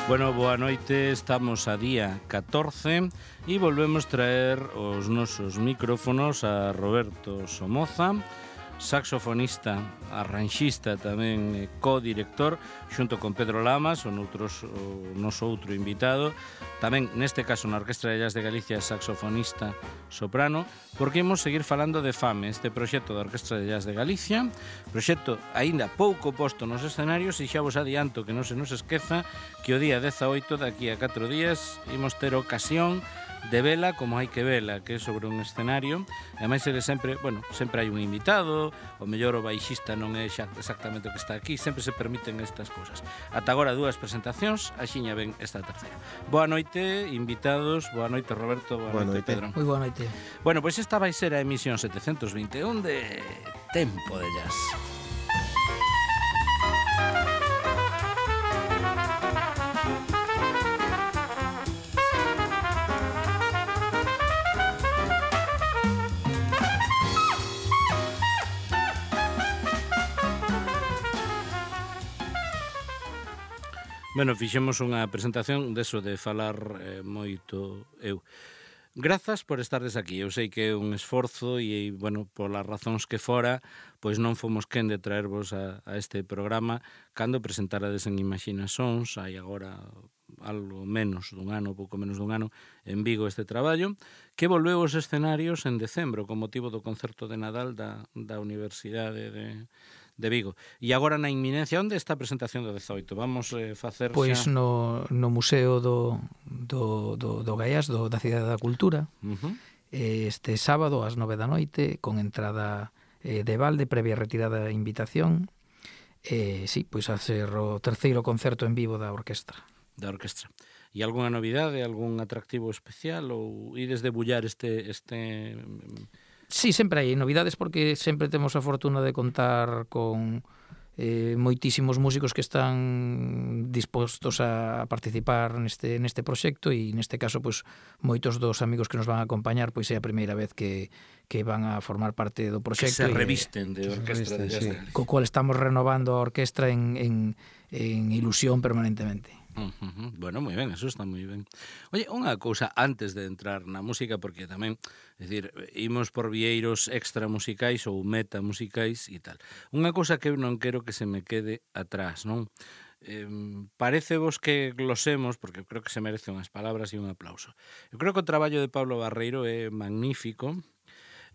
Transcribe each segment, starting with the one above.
Bueno, boa noite, estamos a día 14 e volvemos traer os nosos micrófonos a Roberto Somoza, saxofonista, arranxista tamén, co-director, xunto con Pedro Lamas, o noso outro invitado, tamén neste caso na Orquestra de Jazz de Galicia, saxofonista soprano, porque imos seguir falando de FAME, este proxecto da Orquestra de Jazz de Galicia, proxecto aínda pouco posto nos escenarios, e xa vos adianto que non se nos esqueza que o día 18, daqui a 4 días, imos ter ocasión de vela como hai que vela, que é sobre un escenario, e ademais ele sempre, bueno, sempre hai un invitado, o mellor o baixista non é xa exactamente o que está aquí, sempre se permiten estas cousas. Ata agora 2 presentacións, axiña ven esta terceira. Boa noite, invitados, boa noite Roberto, boa noite Pedro. Moi boa noite. Bueno, pois esta vai ser a emisión 721 de Tempo de Jazz. Bueno, fixemos unha presentación deso de falar moito eu. Grazas por estardes aquí. Eu sei que é un esforzo e, bueno, polas razóns que fora, pois non fomos quen de traervos a este programa cando presentarades en Imaxinasons, hai agora algo menos dun ano, pouco menos dun ano, en Vigo este traballo, que volveu aos escenarios en decembro con motivo do concerto de Nadal da Universidade de Vigo. E agora na inminencia, onde está a presentación do 18? Vamos facer pois xa... no Museo do Gaiás, da Cidade da Cultura, este sábado ás 9 da noite, con entrada de balde, previa retirada de invitación. Sí, pois a ser o terceiro concerto en vivo da orquestra. E algunha novidade, algún atractivo especial, ou ides debullar este... Sí, sempre hai novidades porque sempre temos a fortuna de contar con moitísimos músicos que están dispostos a participar neste proxecto, e neste caso pois moitos dos amigos que nos van a acompañar pois é a primeira vez que van a formar parte do proxecto, que se revisten de orquestra de jazz, sí. Co cual estamos renovando a orquestra en ilusión permanentemente. Bueno, moi ben, eso está moi ben. Oye, unha cousa antes de entrar na música, porque tamén, é dicir, imos por vieiros extra musicais ou meta musicais e tal. Unha cousa que eu non quero que se me quede atrás, non? Parecevos que glosemos, porque eu creo que se merece unhas palabras e un aplauso. Eu creo que o traballo de Pablo Barreiro é magnífico.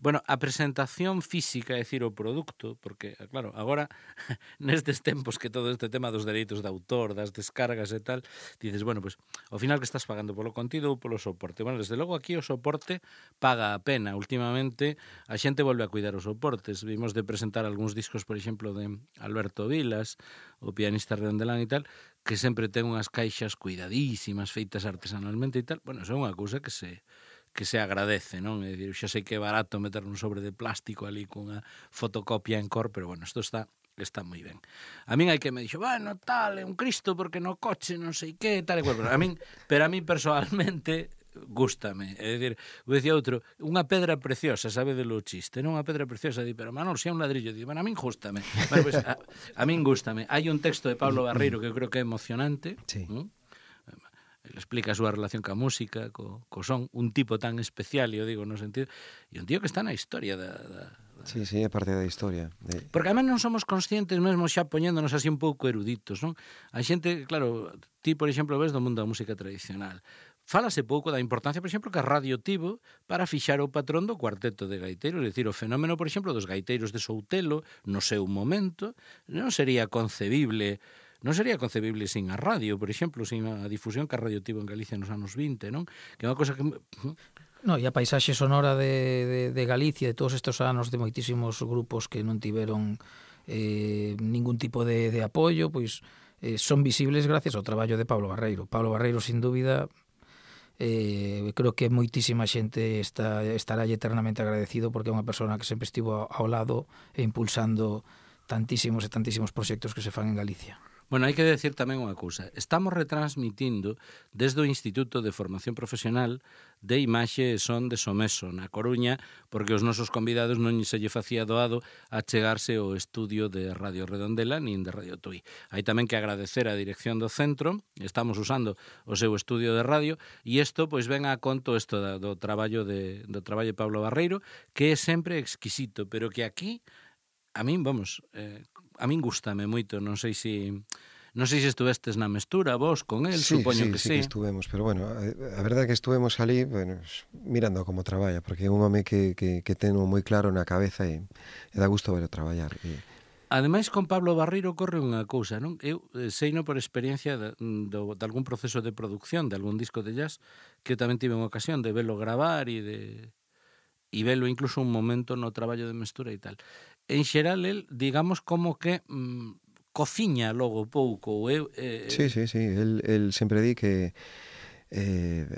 Bueno, a presentación física, é dicir, o produto, porque, claro, agora, nestes tempos que todo este tema dos dereitos de autor, das descargas e tal, dices, bueno, pues, ao final que estás pagando polo contido ou polo soporte? Bueno, desde logo aquí o soporte paga a pena. Últimamente a xente volve a cuidar os soportes. Vimos de presentar algúns discos, por exemplo, de Alberto Vilas, o pianista redondelán e tal, que sempre ten unhas caixas cuidadísimas, feitas artesanalmente e tal. Bueno, eso é unha cousa que se agradece, non? É dicir, xa sei que é barato meter un sobre de plástico ali cunha fotocopia en cor, pero bueno, isto está moi ben. A min hai que me dixo, bueno, tal, é un Cristo porque no coche non sei que, tal e cual, pero a min personalmente gústame, é dicir, vou dicir outro, unha pedra preciosa, sabe de lo chiste, non? Unha pedra preciosa, di, pero Manol, xa un ladrillo, di, bueno, a min gústame. Bueno, pues, a min gústame. Hai un texto de Pablo Barreiro que eu creo que é emocionante, sí. Ele explica a súa relación ca música, co son, un tipo tan especial, e eu digo no sentido, e un tío que está na historia Sí, é parte da historia. Porque además non somos conscientes mesmo xa poñéndonos así un pouco eruditos, non? A xente, claro, ti, por exemplo, ves do mundo da música tradicional. Fálase pouco da importancia, por exemplo, que a radio tivo para fixar o patrón do cuarteto de gaiteiros, é dicir, o fenómeno, por exemplo, dos gaiteiros de Soutelo, no seu momento, non sería concebible sin a radio, por exemplo, sin a difusión que a radio tivo en Galicia nos anos 20, non? Que é unha cosa que... No, e a paisaxe sonora de Galicia, de todos estes anos de moitísimos grupos que non tiveron ningún tipo de apoio, pois son visibles gracias ao traballo de Pablo Barreiro. Pablo Barreiro, sin dúbida, creo que moitísima xente estará eternamente agradecido, porque é unha persona que sempre estivo ao lado e impulsando tantísimos proxectos que se fan en Galicia. Bueno, hai que decir tamén unha cousa. Estamos retransmitindo desde o Instituto de Formación Profesional de Imaxe e Son de Someso, na Coruña, porque os nosos convidados non se lle facía doado a chegarse ao estudio de Radio Redondela nin de Radio Tui. Hai tamén que agradecer a dirección do centro, estamos usando o seu estudio de radio, e isto pois ven a conto isto do traballo de Pablo Barreiro, que é sempre exquisito, pero que aquí a min, a min gústame moito, non sei se estuvestes na mestura vos con el, supoño que sí. Sí que estuvemos, pero bueno, a verdade é que estuvemos ali, bueno, mirando como traballa, porque é un home que ten moi claro na cabeza e dá gusto verlo traballar. Ademais, con Pablo Barreiro corre unha cousa, non? Eu seino por experiencia de algún proceso de producción de algún disco de jazz, que tamén tive unha ocasión de velo gravar e velo incluso un momento no traballo de mestura e tal. En xeral, el, digamos, como que cociña logo pouco. Sí, el sempre di que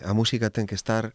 a música ten que estar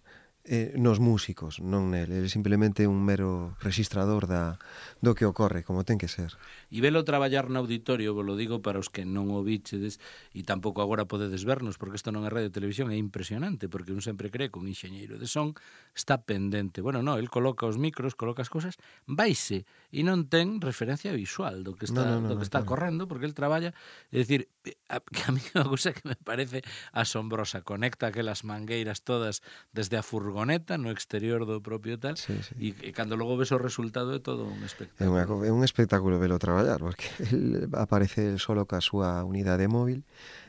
nos músicos, non nel. Ele simplemente un mero registrador do que ocorre, como ten que ser. E velo traballar no auditorio, vos lo digo para os que non o bichedes e tampouco agora podedes vernos, porque isto non é radio e televisión, é impresionante, porque un sempre cree que un enxeñeiro de son está pendente. Bueno, non, el coloca os micros, coloca as cousas, vaise e non ten referencia visual do que está correndo, porque el traballa, é dicir, que a mí é unha cousa que me parece asombrosa, conecta aquelas mangueiras todas desde a furgoneta no exterior do propio tal, e cando logo ves o resultado é todo un espectáculo. É un espectáculo velo traballar, porque el aparece solo ca súa unidade móvil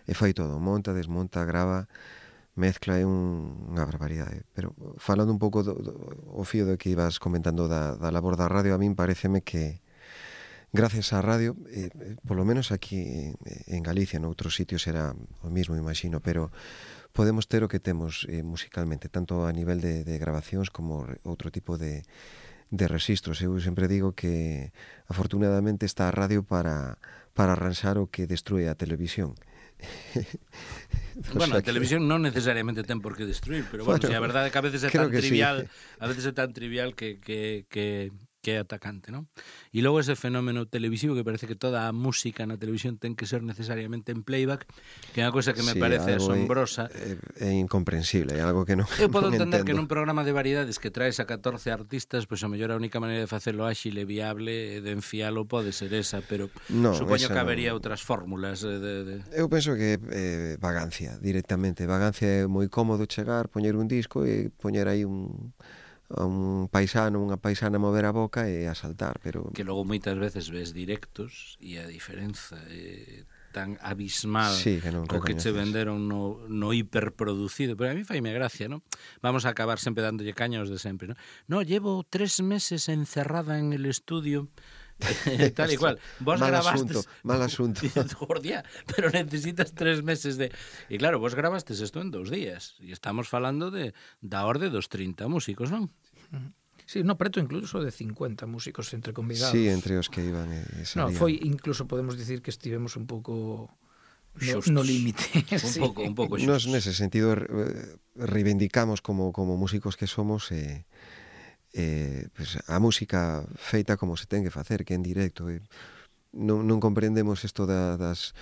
e fai todo, monta, desmonta, grava, mezcla, é unha barbaridade. Pero falando un pouco o fío do que ibas comentando da labor da radio, a min pareceme que gracias á radio, polo menos aquí en Galicia, noutros sitios era o mismo, imagino, pero podemos ter o que temos musicalmente, tanto a nivel de grabacións como outro tipo de registros. Eu sempre digo que afortunadamente está a radio para arranxar o que destrue a televisión. Bueno, a televisión non necesariamente ten por que destruir, pero bueno, si a verdade é que a veces é tan trivial, a veces é tan trivial que é atacante, non? E logo ese fenómeno televisivo que parece que toda a música na televisión ten que ser necesariamente en playback, que é unha cosa que me parece asombrosa. É incomprensible, é algo que non eu podo entender entendo. que nun programa de variedades que traes a 14 artistas, pois a mellor a única maneira de facelo áxil e viable de enfialo pode ser esa, pero supoño que habería outras fórmulas. Eu penso que vagancia, directamente. Vagancia é moi cómodo chegar, poñer un disco e poñer aí un paisano, unha paisana mover a boca e a saltar, pero que logo moitas veces ves directos e a diferenza é tan abismal co que che venderon no hiperproducido, pero a mí faime gracia, ¿no? Vamos a acabar sempre dándolle caña aos de sempre, ¿no? No, llevo 3 meses encerrada en el estudio tal y cual. Vos grabastes mal asunto. Pero necesitas 3 meses de... E claro, vos grabastes isto en 2 días. E estamos falando da orde dos 30 músicos, non? Sí, no, preto incluso de 50 músicos entre convidados. Sí, entre os que iban e salían. No, foi incluso podemos dicir que estivemos un pouco no límite. Un pouco xustos. Nos nese sentido reivindicamos como músicos que somos pues, a música feita como se ten que facer, que en directo. Non comprendemos isto das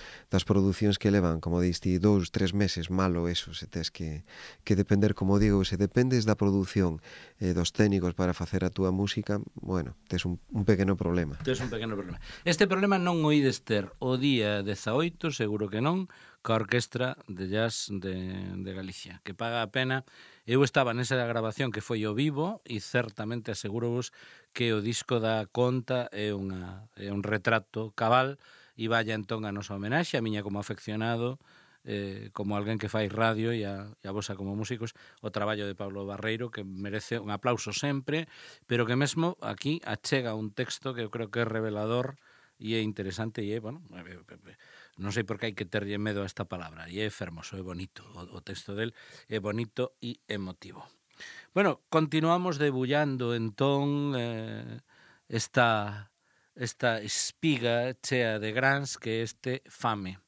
producións que levan, como diste, 2-3 meses, malo eso, se tes que depender, como digo, se dependes da produción dos técnicos para facer a túa música, bueno, tes un pequeno problema. Este problema non o ides ter o día 18, seguro que non, ca Orquestra de Jazz de Galicia, que paga a pena. Eu estaba nesa grabación que foi o vivo e certamente asegurovos que o disco da conta é un retrato cabal e vaya entón a nosa homenaxe, a miña como afeccionado, como alguén que fai radio e a vosa como músicos, o traballo de Pablo Barreiro, que merece un aplauso sempre, pero que mesmo aquí achega un texto que eu creo que é revelador e é interesante e é, bueno, non sei por que hai que terlle medo a esta palabra, e é fermoso, é bonito, o texto del é bonito e emotivo. Bueno, continuamos debullando entón esta espiga chea de grans que este Fame.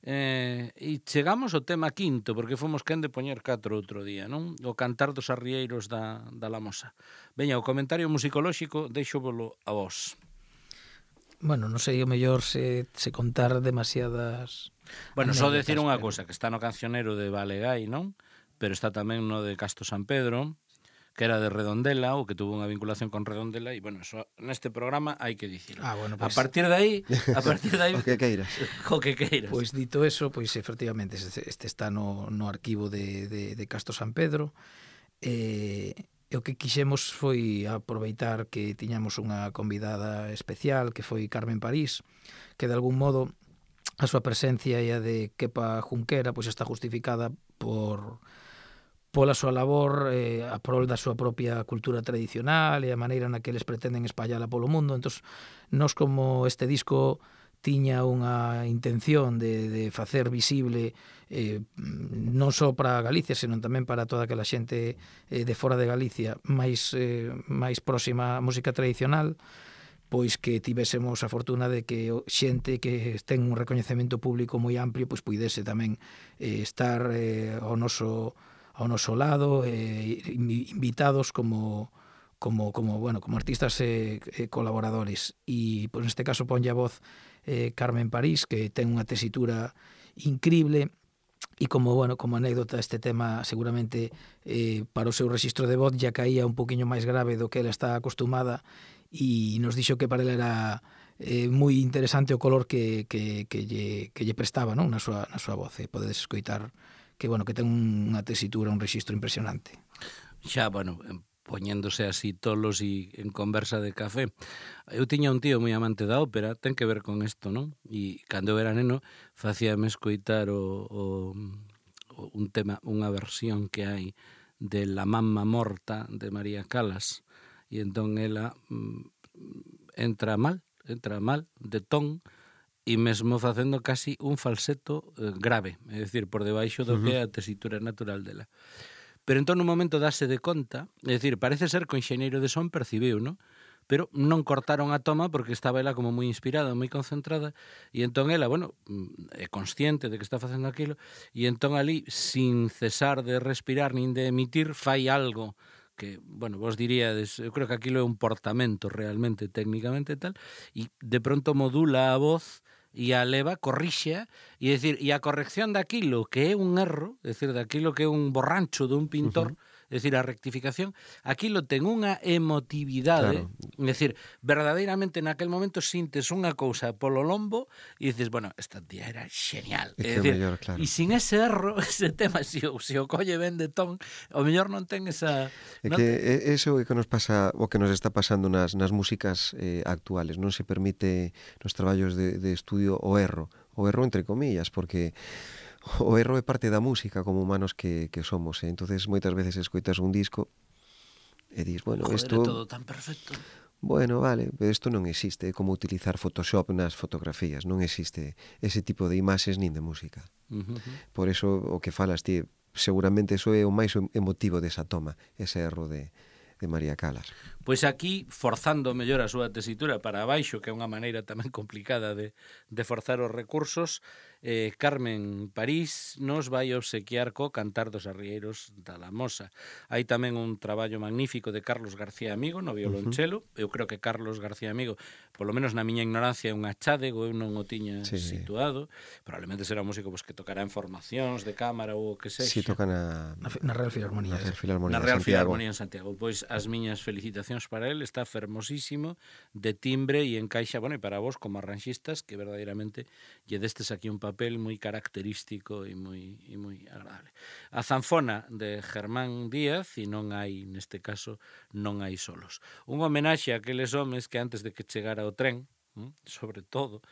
E chegamos ao tema quinto, porque fomos quen de poñer 4 outro día, non? O cantar dos arrieiros da Lamosa. Veña, o comentario musicolóxico deixo volo a vos. Bueno, non sei o mellor se contar demasiadas Bueno, só anécdotas, decir unha pero... cosa, que está no cancionero de Balegai, non? Pero está tamén no de Casto San Pedro, que era de Redondela, ou que tuvo unha vinculación con Redondela, e, bueno, eso neste programa hai que dicirlo. Bueno, A pues, partir de aí... O que queiras. O que queiras. Pois dito eso, pois efectivamente este está no arquivo de Casto San Pedro. E o que quixemos foi aproveitar que tiñamos unha convidada especial, que foi Carmen París, que de algún modo a súa presencia e a de Kepa Junquera pois está justificada pola súa labor a prol da súa propia cultura tradicional e a maneira na que eles pretenden espallala polo mundo. Entón, nos como este disco tiña unha intención de facer visible non só para Galicia, senón tamén para toda aquela xente de fora de Galicia máis próxima á música tradicional, pois que tivésemos a fortuna de que xente que ten un recoñecemento público moi amplio pois puidese tamén estar ao noso lado, invitados como artistas colaboradores. E pois neste caso ponlle a voz Carmen París, que ten unha tesitura increíble, e como anécdota, este tema seguramente para o seu rexistro de voz ya caía un poquinho máis grave do que ela está acostumada, e nos dixo que para ela era moi interesante o color que lle prestaba, non, na súa voz. Podedes escoitar que ten unha tesitura, un rexistro impresionante. Xa, poñéndose así tolos e en conversa de café. Eu tiña un tío moi amante da ópera, ten que ver con isto, non? E cando eu era neno facíame escoitar un tema, unha versión que hai de La Mamma Morta de María Callas, e entón ela entra mal de ton, e mesmo facendo casi un falseto grave, é dicir, por debaixo do que é a tesitura natural dela. Pero entón un momento dase de conta, é dicir, parece ser que o enxeñeiro de son percibiu, non? Pero non cortaron a toma porque estaba ela como moi inspirada, moi concentrada, e entón ela, é consciente de que está facendo aquilo, e entón ali, sin cesar de respirar nin de emitir, fai algo que, vos diríades, eu creo que aquilo é un portamento realmente, técnicamente tal, e de pronto modula a voz e a leva, corrixe, e decir, e a corrección daquilo que é un erro, é dicir, daquilo que é un borrancho dun pintor, é dicir, a rectificación, aquilo ten unha emotividade, claro. É dicir, verdadeiramente naquel momento sintes unha cousa polo lombo e dices, esta tía era genial. É dicir, mellor, claro. E sin ese erro, ese tema, se o colle ben de ton, o mellor non ten esa... É que eso é que nos pasa, o que nos está pasando nas músicas actuales, non se permite nos traballos de estudio o erro entre comillas, porque o erro é parte da música como humanos que somos, entonces moitas veces escoitas un disco e dis, isto é todo tan perfecto. Vale, pero isto non existe, é como utilizar Photoshop nas fotografías, non existe ese tipo de imaxes nin de música. Por eso o que falas ti, seguramente eso é o máis emotivo desa toma, ese erro de María Callas. Pois aquí, forzando mellor a súa tesitura para abaixo, que é unha maneira tamén complicada de forzar os recursos, Carmen París nos vai obsequiar co Cantar dos Arrieiros da Lamosa. Hai tamén un traballo magnífico de Carlos García Amigo no violonchelo. Eu creo que Carlos García Amigo, polo menos na miña ignorancia, é un achádego, eu non o tiña situado. Probablemente será un músico que tocará en formacións de cámara ou o que sexa. Si, toca na Real Filarmonía. Na Real Filarmonía en Santiago. Pois as miñas felicitacións para él, está fermosísimo, de timbre e encaixa, e para vos como arranxistas, que verdadeiramente lle destes aquí un papel moi característico e moi agradable. A zanfona de Germán Díaz, e non hai, neste caso, non hai solos. Un homenaxe a aqueles homes que antes de que chegara o tren, sobre todo,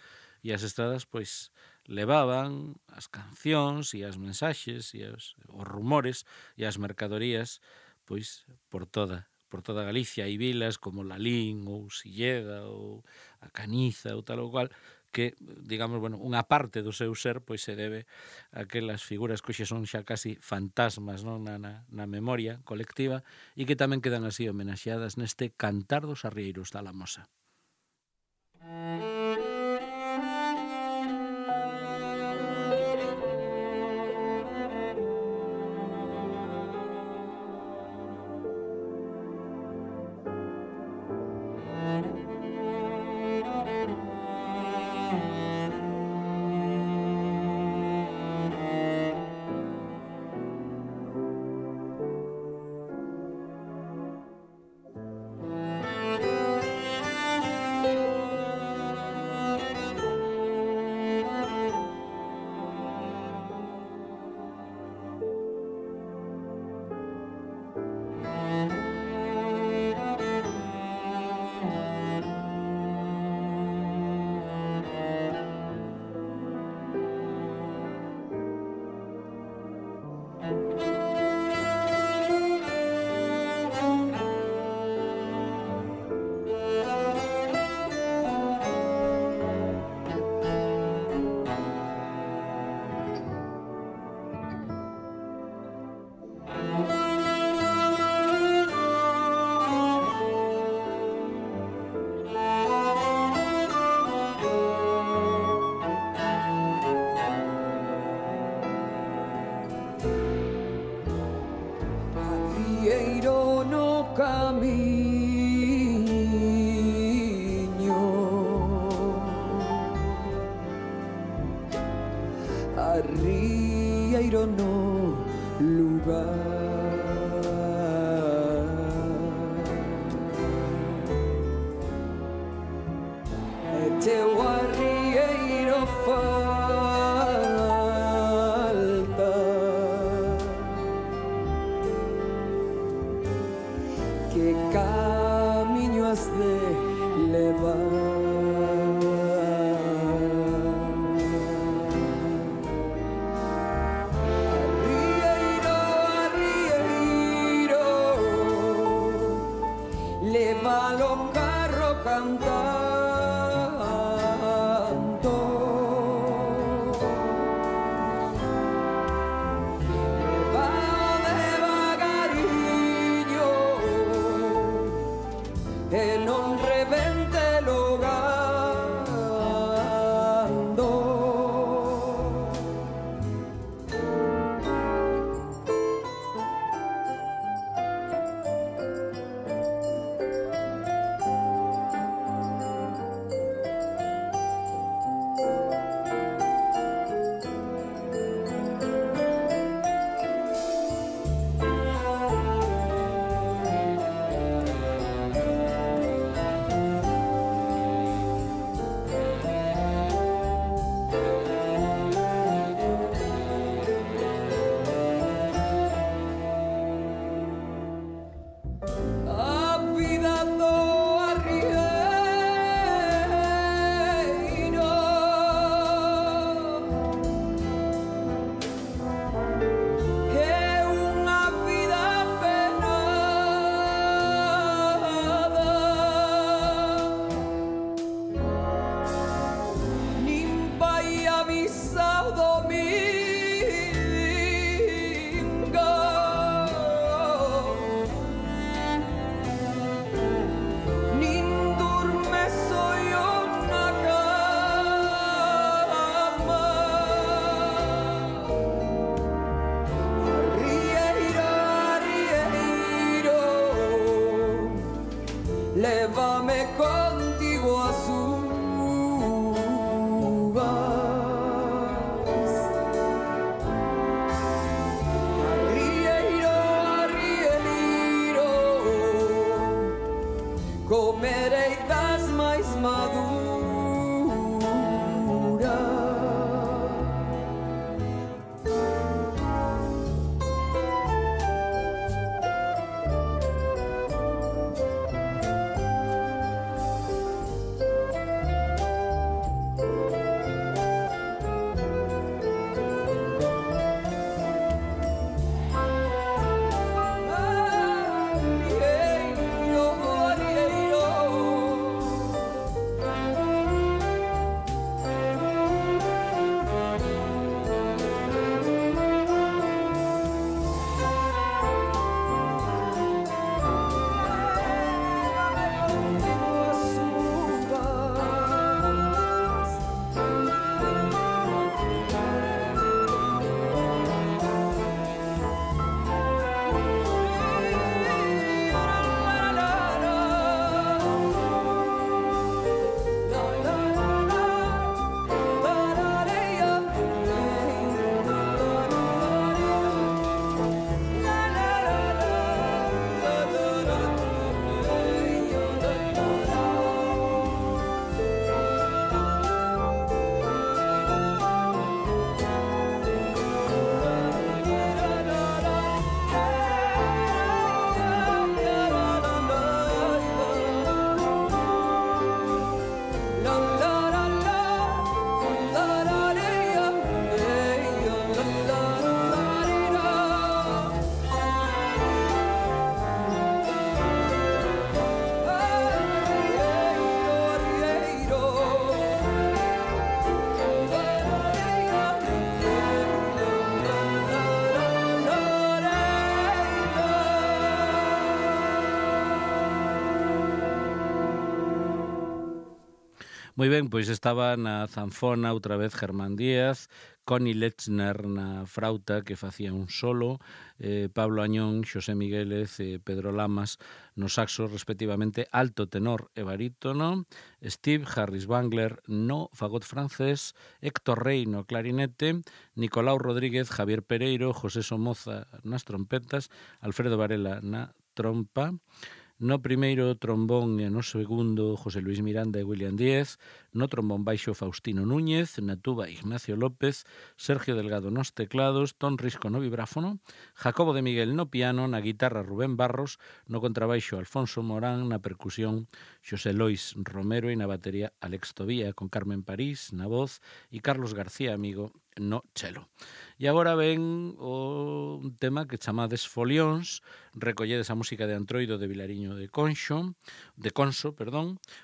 e as estradas, pois, levaban as cancións e as mensaxes e os rumores e as mercadorías, pois, por toda Galicia. Hai vilas como Lalín ou Silleda ou a Caniza ou tal ou cual, que, digamos, unha parte do seu ser pois se debe a aquelas figuras que hoxe son xa casi fantasmas, non, na memoria colectiva, e que tamén quedan así homenaxeadas neste Cantar dos Arrieiros da Lamosa. Arrieiro no camiño, arrieiro no lugar, e teu arrieiro falta, que camiño has de levar? Arrieiro, arrieiro, lévalo o carro cantando, lévalo devagariño, e non revente logando. A vida do arrieiro é unha vida penada, nin vai avisar domingo, nin durme soio na cama. Arrieiro, arrieiro, lévame contigo ás súas Moi ben, pois estaba na zanfona outra vez Germán Díaz, Connie Lechner na frauta que facía un solo, Pablo Añón, Xosé Miguélez e Pedro Lamas no saxo respectivamente alto, tenor e barítono, Steve Harris Bangler no fagot francés, Héctor Rey no clarinete, Nicolau Rodríguez, Javier Pereiro, José Somoza nas trompetas, Alfredo Varela na trompa, no primeiro trombón e no segundo José Luis Miranda e William Díez, no trombón baixo Faustino Núñez, na tuba Ignacio López, Sergio Delgado nos teclados, Ton Risco no vibráfono, Jacobo de Miguel no piano, na guitarra Rubén Barros, no contrabaixo Alfonso Morán, na percusión Xosé Lois Romero e na batería Alex Tobía, con Carmen París na voz e Carlos García Amigo no chelo. E agora ven un tema que chamades Folións, recolledes a música de Antroido de Vilariño de Conso,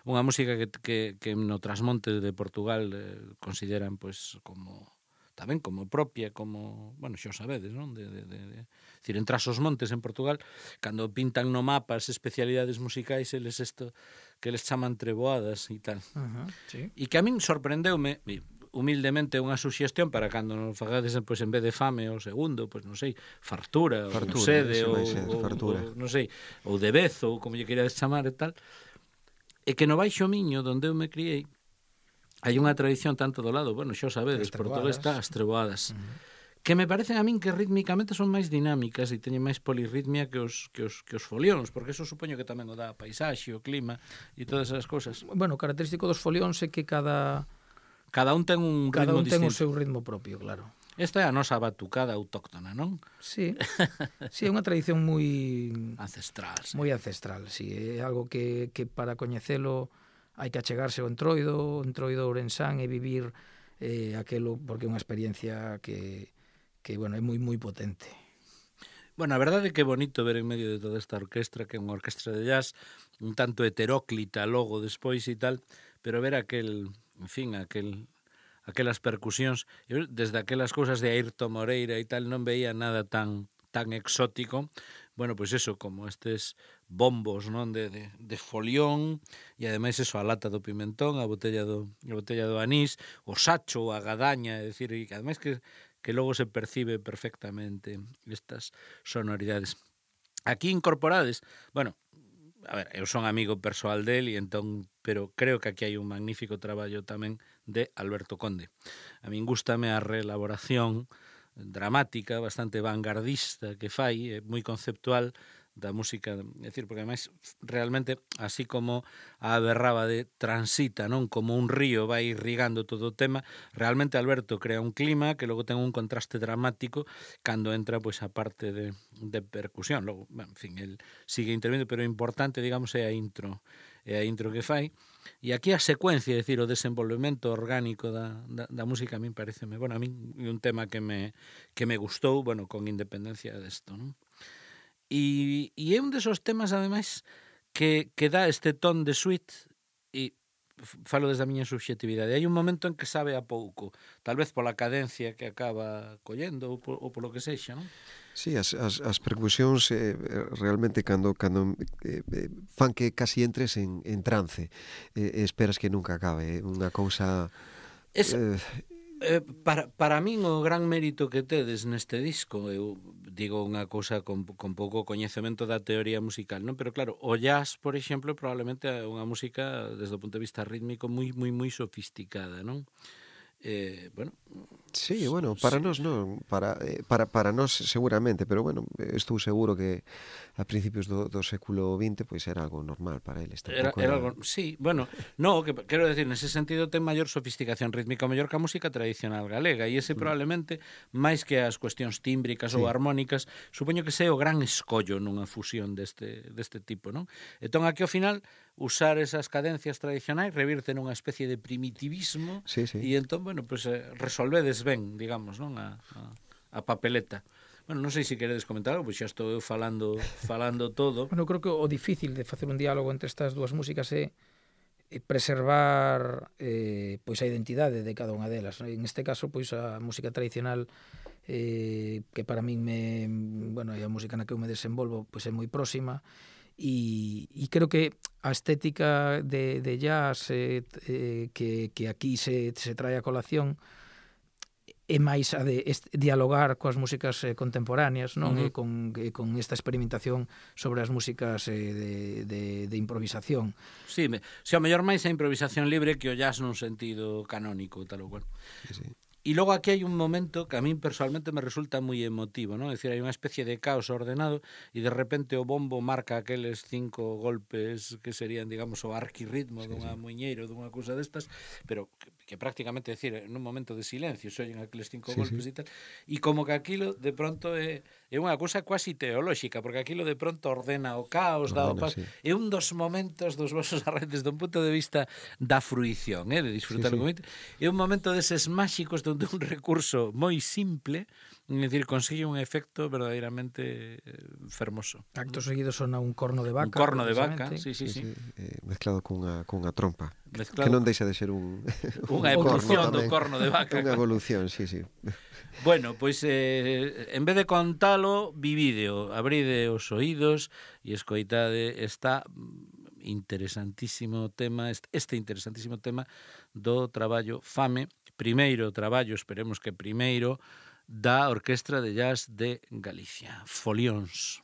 unha música que no trasmonte de Portugal consideran pois como tamén como propia, como, bueno, xa o sabedes, non? Decir, en Tras os Montes en Portugal, cando pintan no mapa as especialidades musicais, eles isto que les chaman treboadas e tal. Sí. E que a min sorprendeume, humildemente unha suxestión para cando nos fagades pois, en vez de fame o segundo, pois non sei, fartura ou sede ou non sei, ou de vez ou como lle queirades chamar e tal. E que no Baixo Miño, onde eu me criei, hai unha tradición tanto do lado, bueno, xa o sabedes, por todo está as treboadas. Que me parecen a min que rítmicamente son máis dinámicas e teñen máis polirritmia que os folións, porque eso supoño que tamén o dá a paisaxe, o clima e todas esas cosas. Bueno, o característico dos folións é que cada un ten un ritmo distinto. Cada un ten o seu ritmo propio, claro. Esta é a nosa batucada autóctona, non? Sí, sí, é unha tradición moi ancestral. Sí. Moi ancestral, sí. É algo que para coñecelo hai que achegarse ao Entroido Ourensán e vivir aquelo, porque é unha experiencia que bueno, é moi potente. Bueno, a verdade é que é bonito ver en medio de toda esta orquestra, que é unha orquestra de jazz, un tanto heteróclita logo despois e tal, pero ver aquelas percusións, eu desde aquelas cousas de Ayrton Moreira e tal non veía nada tan exótico. Bueno, pois eso, como estes bombos, non, de folión, e ademais eso, a lata do pimentón, a botella do anís, o sacho, a gadaña, é dicir, e ademais que logo se percibe perfectamente estas sonoridades. Aquí incorporades, bueno, a ver, eu son amigo persoal del e entón, pero creo que aquí hai un magnífico traballo tamén de Alberto Conde. A min gústame a reelaboración dramática, bastante vanguardista que fai, moi conceptual da música, é dicir, porque ademais realmente, así como a Berrábade transita, non, como un río vai irrigando todo o tema, realmente Alberto crea un clima que logo ten un contraste dramático cando entra pois a parte de percusión. Logo, bueno, en fin, el sigue intervindo, pero o importante, digamos, é a intro que fai. E aquí a secuencia, é dicir, o desenvolvemento orgánico da música a min pareceme, bueno, a min é un tema que me gustou, bueno, con independencia desto, non? E é un desos temas, ademais, que dá este ton de suite, e falo desde a miña subxetividade. Hai un momento en que sabe a pouco, tal vez pola cadencia que acaba collendo ou polo que sexa, non? Sí, as percusións realmente cando fan que casi entres en trance, esperas que nunca acabe, unha cousa... Para min o gran mérito que tedes neste disco, eu digo unha cousa con pouco coñecemento da teoría musical, non? Pero claro, o jazz, por exemplo, probablemente é unha música desde o punto de vista rítmico moi sofisticada, non? Bueno, sí, bueno, para nós non, para nós seguramente, pero bueno, estou seguro que a principios do século XX pois era algo normal para eles. Era algo, sí, bueno, no, que quero decir, nese sentido ten maior sofisticación rítmica, mellor que a música tradicional galega, e ese probablemente, máis que as cuestións tímbricas ou armónicas, supoño que sea o gran escollo nunha fusión deste tipo, non? Entón, aquí ao final, usar esas cadencias tradicionais revirte nunha especie de primitivismo, e entón, bueno, pues resolvedes ben, digamos, non, a papeleta. Bueno, non sei se queredes comentar algo, pois xa estou eu falando todo. Bueno, creo que o difícil de facer un diálogo entre estas dúas músicas é preservar pois a identidade de cada unha delas. En este caso, pois a música tradicional que para min é a música na que eu me desenvolvo, pois é moi próxima, e creo que a estética de jazz que aquí se trae a colación é máis a de dialogar coas músicas contemporáneas, non? E con esta experimentación sobre as músicas de improvisación. Sí, se ao mellor máis a improvisación libre que o jazz nun sentido canónico, tal ou cual. Sí, sí. E logo aquí hai un momento que a min personalmente me resulta moi emotivo, non? É dicir, hai unha especie de caos ordenado e de repente o bombo marca aqueles 5 golpes que serían, digamos, o arquirritmo dunha muiñeiro, dunha cousa destas, pero que prácticamente, decir, nun momento de silencio se oyen aqueles 5 golpes e tal, e como que aquilo de pronto é unha cousa quasi teolóxica, porque aquilo de pronto ordena o caos, dá o paso. É un dos momentos dos vosos arranques desde un punto de vista da fruición, de disfrutar o momento. É un momento deses máxicos donde un recurso moi simple, é dicir, consigue un efecto verdadeiramente fermoso. Acto seguido sona un corno de vaca. Un corno de vaca, sí. Mezclado cunha trompa. Mezclado que non deixa de ser unha evolución do corno de vaca. Unha evolución, sí. Bueno, pois en vez de contalo, vivídeo, abride os oídos e escoitade esta interesantísimo tema, este interesantísimo tema do traballo Fame, primeiro traballo, esperemos que primeiro, da Orquestra de Jazz de Galicia, Folións.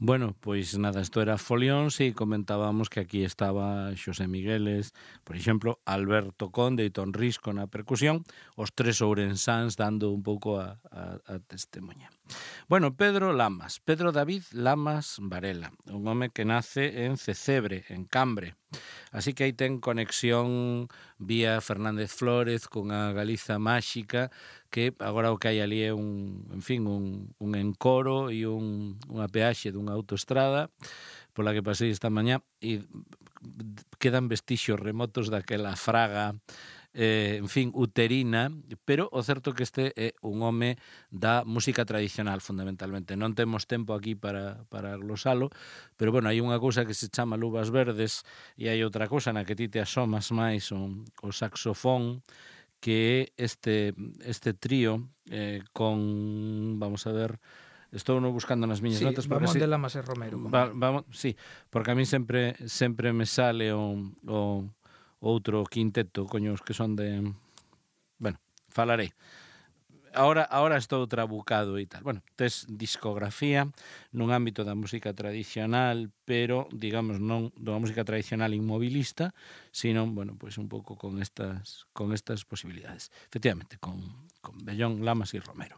Bueno, pois nada, isto era Folións e comentábamos que aquí estaba Xosé Migueles, por exemplo, Alberto Conde e Ton Risco na percusión, os tres ourensáns dando un pouco a testemunha. Bueno, Pedro David Lamas Varela, un home que nace en Cecebre, en Cambre. Así que aí ten conexión vía Fernández Flórez cunha Galiza máxica que agora o que hai ali é un encoro e unha peaxe dunha autoestrada pola que pasei esta mañá e quedan vestixios remotos daquela fraga uterina, pero o certo que este é un home da música tradicional, fundamentalmente. Non temos tempo aquí para glosalo, pero, bueno, hai unha cousa que se chama Luvas Verdes e hai outra cousa na que ti te asomas máis o saxofón, que é este trío con, vamos a ver, estou no buscando nas miñas notas. Vamos de Lamas e Romero. Vamos, sí, porque a mí sempre me sale o outro quinteto, coños, que son de... Bueno, falarei. Ahora estou trabucado e tal. Bueno, tes discografía nun ámbito da música tradicional, pero, digamos, non da música tradicional inmovilista, sino, bueno, pues un pouco con estas posibilidades. Efectivamente, con Bellón, Lamas e Romero.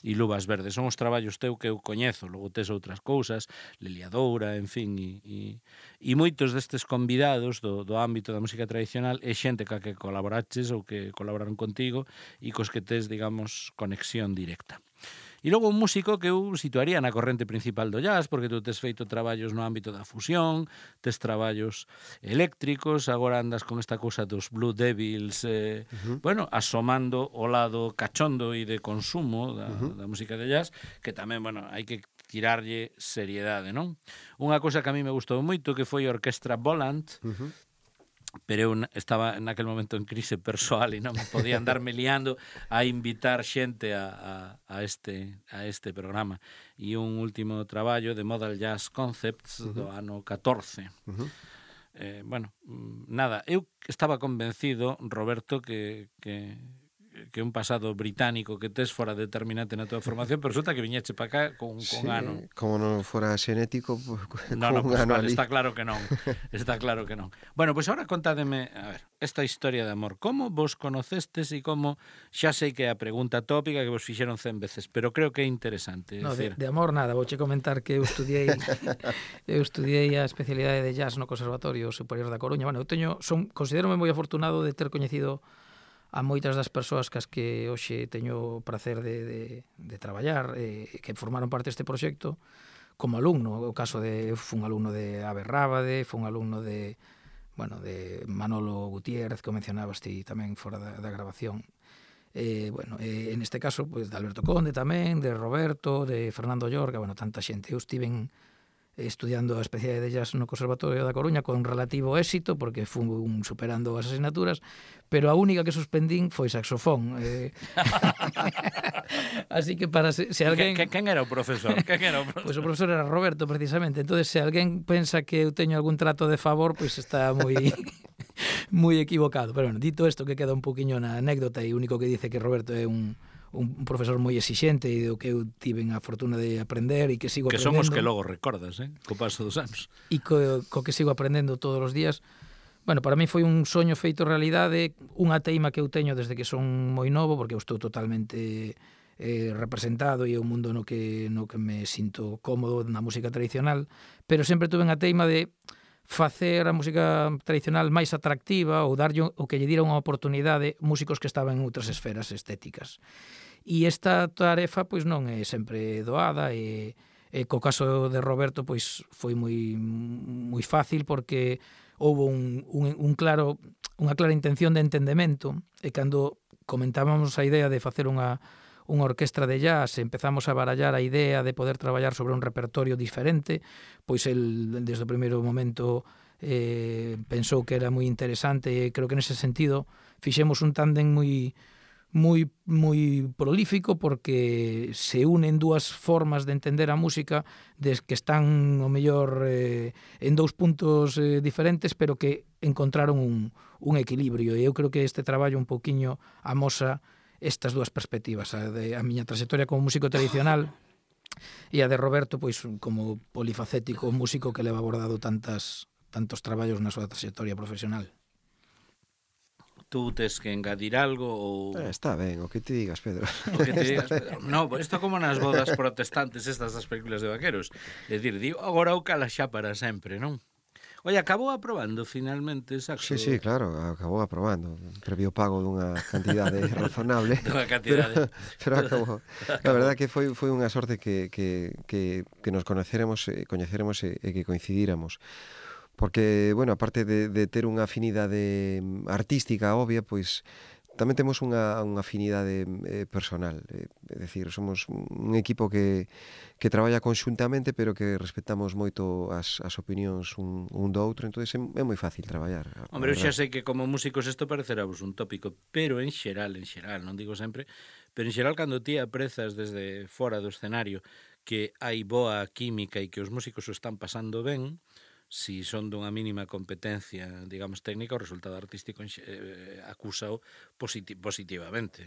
E Luvas Verdes son os traballos teu que eu coñezo, logo tes outras cousas, Leliadoura, en fin, e moitos destes convidados do ámbito da música tradicional é xente ca que colaboraches ou que colaboraron contigo e cos que tes, digamos, conexión directa. E logo un músico que eu situaría na corrente principal do jazz, porque tú tes feito traballos no ámbito da fusión, tes traballos eléctricos, agora andas con esta cousa dos Blue Devils, bueno, asomando o lado cachondo e de consumo da música de jazz, que tamén, bueno, hai que tirarlle seriedade, non? Unha cousa que a mí me gustou moito, que foi a Orquestra Volant, pero eu estaba naquel momento en crise persoal e non me podía andarme liando a invitar xente a este programa. E un último traballo de Modal Jazz Concepts do ano 14. Bueno, nada, eu estaba convencido, Roberto, que un pasado británico que tes fora determinante na tua formación, pero resulta que viñeche para cá con ano. Como non fora xenético, No, pues vale, está claro que non. Está claro que non. Bueno, pois agora contádeme, a ver, esta historia de amor. Como vos conocestes e como, xa sei que é a pregunta tópica que vos fixeron 100 veces, pero creo que é interesante. No, de amor nada, vouche comentar que eu estudiei a especialidade de jazz no Conservatorio Superior da Coruña. Bueno, considérome moi afortunado de ter coñecido a moitas das persoas cas que hoxe teño o prazer de traballar, que formaron parte deste proxecto como alumno. O caso de fun alumno de Abe Rábade, fun alumno de Manolo Gutiérrez, que mencionabas ti tamén fora da grabación. En este caso, pues, de Alberto Conde tamén, de Roberto, de Fernando Llorca, tanta xente. Eu estiven estudiando a especialidade de jazz no Conservatorio da Coruña con relativo éxito, porque fun superando as asignaturas, pero a única que suspendín foi saxofón. Así que para se alguén... Quen era o profesor? Pois o profesor era Roberto, precisamente. Entonces, se alguén pensa que eu teño algún trato de favor, pois está moi equivocado. Pero, dito isto, que queda un poquinho na anécdota, e o único que dice que Roberto é un profesor moi exixente e do que eu tiven a fortuna de aprender e que sigo aprendendo. Que somos que logo recordas, co paso dos anos. E co que sigo aprendendo todos os días. Bueno, para mí foi un soño feito realidade, unha teima que eu teño desde que son moi novo, porque eu estou totalmente representado e é un mundo no que me sinto cómodo na música tradicional, pero sempre tuve unha teima de facer a música tradicional máis atractiva ou darlle o que lle dira unha oportunidade músicos que estaban en outras esferas estéticas. E esta tarefa pois non é sempre doada e co caso de Roberto pois foi moi fácil porque houve unha clara intención de entendemento e cando comentábamos a idea de facer unha orquestra de jazz, empezamos a barallar a idea de poder traballar sobre un repertorio diferente, pois el desde o primeiro momento pensou que era moi interesante e creo que nese sentido fixemos un tándem moi prolífico porque se unen dúas formas de entender a música que están o mellor en dous puntos diferentes pero que encontraron un equilibrio e eu creo que este traballo un pouquiño amosa estas dúas perspectivas, a miña trayectoria como músico tradicional E a de Roberto, pois, como polifacético músico que leva abordado tantos traballos na súa trayectoria profesional. Tú tes que engadir algo ou... Está ben, o que te digas, Pedro. O que te digas, Pedro. No, pues isto como nas bodas protestantes estas das películas de vaqueros. É dicir, digo, agora o cala xa para sempre, non? Oye, acabou aprobando finalmente saxo. Sí, claro, acabou aprobando. Previo pago dunha cantidade razonable. Dunha cantidade. Pero acabou. A verdade que foi unha sorte que nos coñeceremos e que coincidíramos. Porque, bueno, aparte de ter unha afinidade artística obvia, pois tamén temos unha afinidade personal. É dicir, somos un equipo que traballa conxuntamente, pero que respetamos moito as opinións un do outro, entón é moi fácil traballar. Hombre, eu xa sei que como músicos isto parecerá-vos un tópico, pero en xeral, non digo sempre, pero en xeral cando ti aprezas desde fora do escenario que hai boa química e que os músicos o están pasando ben, si son dunha mínima competencia, digamos, técnica, o resultado artístico acúsao positivamente,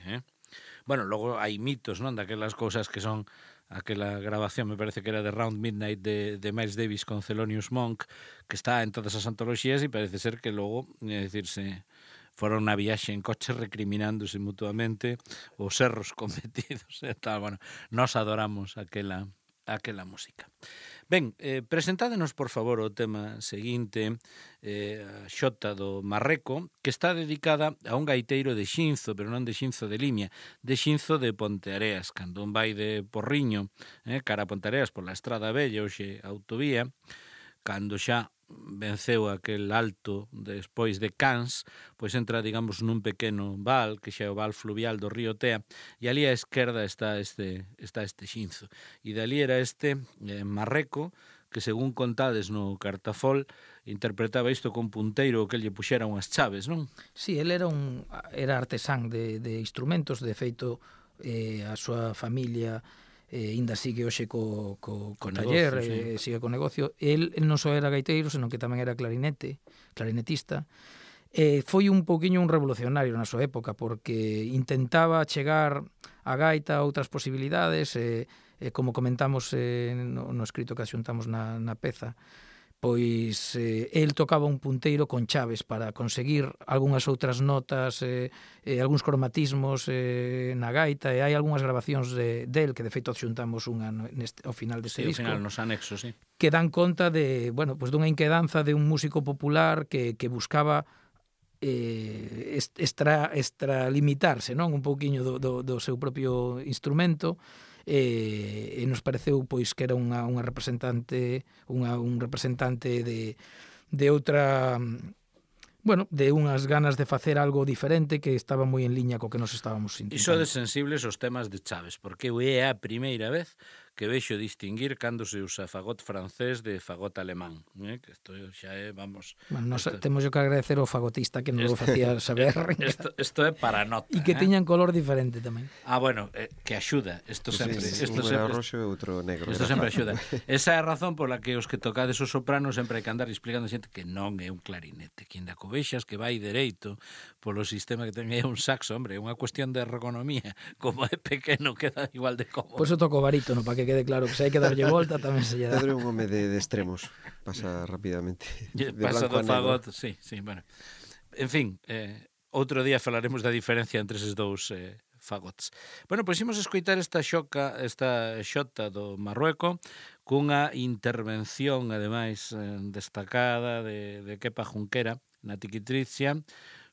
Bueno, logo hai mitos, non, daquelas cousas que son aquela grabación, me parece que era de Round Midnight de Miles Davis con Thelonious Monk, que está en todas as antoloxías e parece ser que logo, é dicirse, foron na viaxe en coche recriminándose mutuamente os erros cometidos e tal. Bueno, nós adoramos aquela música. Ben, presentádenos, por favor, o tema seguinte, a xota do Marreco, que está dedicada a un gaiteiro de Xinzo, pero non de Xinzo de Limia, de Xinzo de Ponteareas, cando un vai de Porriño, cara a Ponteareas pola Estrada Bella, hoxe autovía, cando xa venceu aquel alto despois de Cans, pois entra, digamos, nun pequeno val, que xa é o val fluvial do río Tea, e ali á esquerda está este Xinzo. E dali era este Marreco, que según contades no Cartafol, interpretaba isto con punteiro que lle puxera unhas chaves, non? Sí, ele era artesán de instrumentos, de feito a súa familia ainda sigue hoxe co taller, negocio, sí. Sigue co negocio. El non só era gaiteiro, senón que tamén era clarinetista. Foi un pouquiño un revolucionario na súa época, porque intentaba chegar a gaita a outras posibilidades, como comentamos no escrito que axuntamos na peza, pois el tocaba un punteiro con chaves para conseguir algunhas outras notas, algúns cromatismos na gaita, e hai algunhas grabacións del, que de feito xuntamos unha ao final deste disco. Ao final, nos anexos, sí. Que dan conta de, bueno, pues dunha inquedanza de un músico popular que buscaba extralimitarse, non, un pouquiño do seu propio instrumento, e nos pareceu pois que era un representante de outra, bueno, de unhas ganas de facer algo diferente que estaba moi en liña co que nos estábamos intentando. E sodes sensibles aos temas de chaves, porque é a primeira vez que vexo distinguir cando se usa fagot francés de fagot alemán, que isto xa é, vamos... Bueno, nos temos que agradecer ao fagotista que nos lo facía saber. Isto é para nota. E que tiñan color diferente tamén. Ah, bueno, que axuda. Isto sempre... Un era roxo e outro negro. Isto sempre axuda. Esa é a razón pola que os que tocades o soprano sempre hai que andar explicando a xente que non é un clarinete, que ainda covexas que vai dereito polo sistema que ten é un saxo, hombre, é unha cuestión de ergonomía. Como é pequeno, queda igual de cómodo. Por eso toco barítono, para que quede claro que se hai que darlle volta tamén se lle dá. Pedro é un home de extremos, pasa rapidamente. Pasa do fagot, sí, bueno. En fin, outro día falaremos da diferencia entre eses dous fagots. Bueno, pois imos escoitar esta xota do Marrueco cunha intervención, ademais, destacada de Kepa Junquera na Tiquitrizia,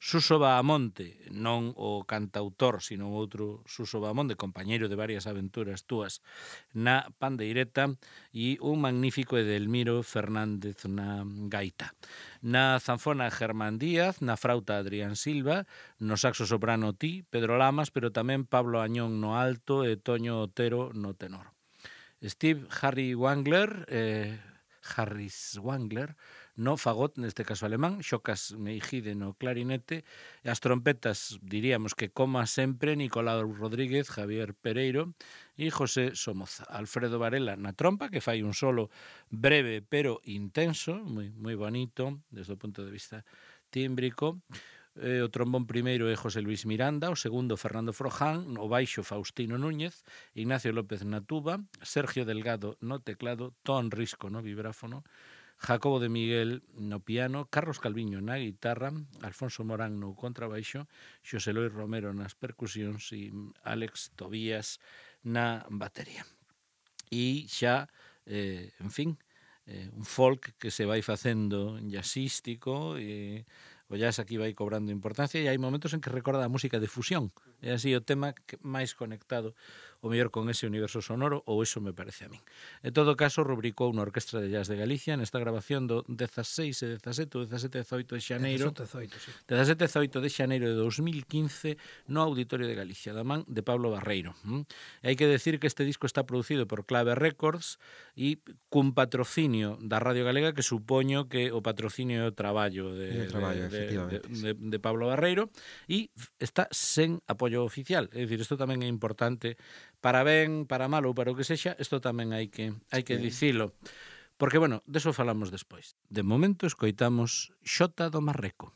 Suso Bahamonte, non o cantautor, sino outro Suso Bahamonte, compañeiro de varias aventuras túas na pandeireta, e un magnífico Edelmiro Fernández na gaita. Na zanfona Germán Díaz, na frauta Adrián Silva, no saxo soprano Ti, Pedro Lamas, pero tamén Pablo Añón no alto e Toño Otero no tenor. Steve Harris Wangler, no fagot, neste caso alemán, Xocas Meijide no clarinete, e as trompetas, diríamos que como sempre, Nicolau Rodríguez, Javier Pereiro e José Somoza. Alfredo Varela na trompa, que fai un solo breve pero intenso, moi bonito, desde o punto de vista tímbrico. O trombón primeiro é José Luis Miranda, o segundo Fernando Froján, o baixo Faustino Núñez, Ignacio López na tuba, Sergio Delgado no teclado, Ton Risco no vibráfono, Jacobo de Miguel no piano, Carlos Calviño na guitarra, Alfonso Morán no contrabaixo, Xosé Luis Romero nas percusións e Alex Tobías na batería. E xa, en fin, un folk que se vai facendo jazzístico, e o jazz aquí vai cobrando importancia e hai momentos en que recorda a música de fusión. É así o tema máis conectado o mellor con ese universo sonoro, ou eso me parece a min. En todo caso, rubricou unha Orquestra de Jazz de Galicia nesta grabación do 16 e 17 ou 17 e 18 de xaneiro 17 sí. 17 e 18 de xaneiro de 2015 no Auditorio de Galicia, da man de Pablo Barreiro. E hai que decir que este disco está producido por Clave Records e cun patrocinio da Radio Galega que supoño que o patrocinio é o traballo de Pablo Barreiro e está sen apoio oficial. É dicir, isto tamén é importante para ben, para mal ou para o que sexa, isto tamén hai que dicilo. Porque, bueno, deso falamos despois. De momento escoitamos Xota do Marreco.